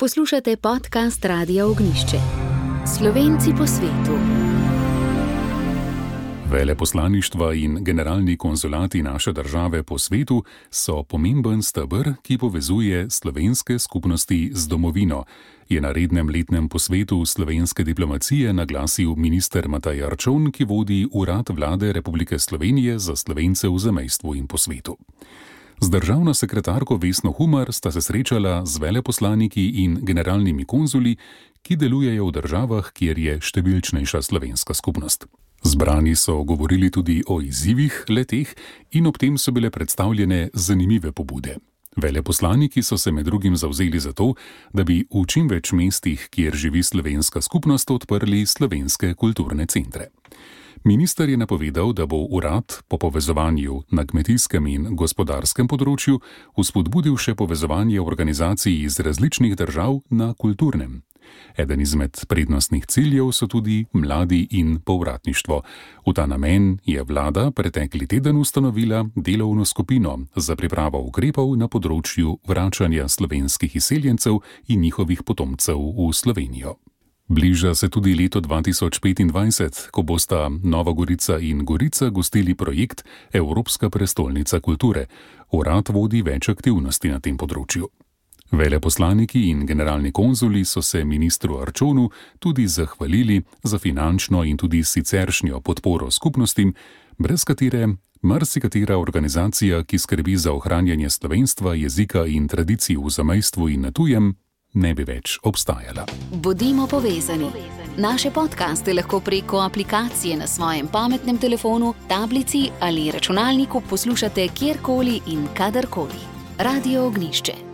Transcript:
Poslušate podcast Radia Ognjišče. Slovenci po svetu. Veleposlaništva in generalni konzulati naše države po svetu so pomemben steber, ki povezuje slovenske skupnosti z domovino, je na rednem letnem posvetu slovenske diplomacije naglasil minister Matej Arčon, ki vodi Urad Vlade Republike Slovenije za Slovence v zamejstvu in po svetu. Z državno sekretarko Vesno Humar sta se srečala z veleposlaniki in generalnimi konzuli, ki delujejo v državah, kjer je številčnejša slovenska skupnost. Zbrani so govorili tudi o izzivih le-teh in ob tem so bile predstavljene zanimive pobude. Veleposlaniki so se med drugim zavzeli za to, da bi v čim več mestih, kjer živi slovenska skupnost, odprli slovenske kulturne centre. Minister je napovedal, da bo urad po povezovanju na kmetijskem in gospodarskem področju vzpodbudil še povezovanje organizacij iz različnih držav na kulturnem. Eden izmed prednostnih ciljev so tudi mladi in povratništvo. V ta namen je vlada pretekli teden ustanovila delovno skupino za pripravo ukrepov na področju vračanja slovenskih izseljencev in njihovih potomcev v Slovenijo. Bliža se tudi leto 2025, ko bosta Nova Gorica in Gorica gostili projekt Evropska prestolnica kulture. Urad vodi več aktivnosti na tem področju. Veleposlaniki in generalni konzuli so se ministru Arčonu tudi zahvalili za finančno in tudi siceršnjo podporo skupnostim, brez katere marsikatera organizacija, ki skrbi za ohranjanje slovenstva, jezika in tradicij v zamejstvu in na tujem, ne bi več obstajala. Bodimo povezani. Naše podcaste lahko preko aplikacije na svojem pametnem telefonu, tablici ali računalniku poslušate kjerkoli in kadarkoli. Radio Ognjišče.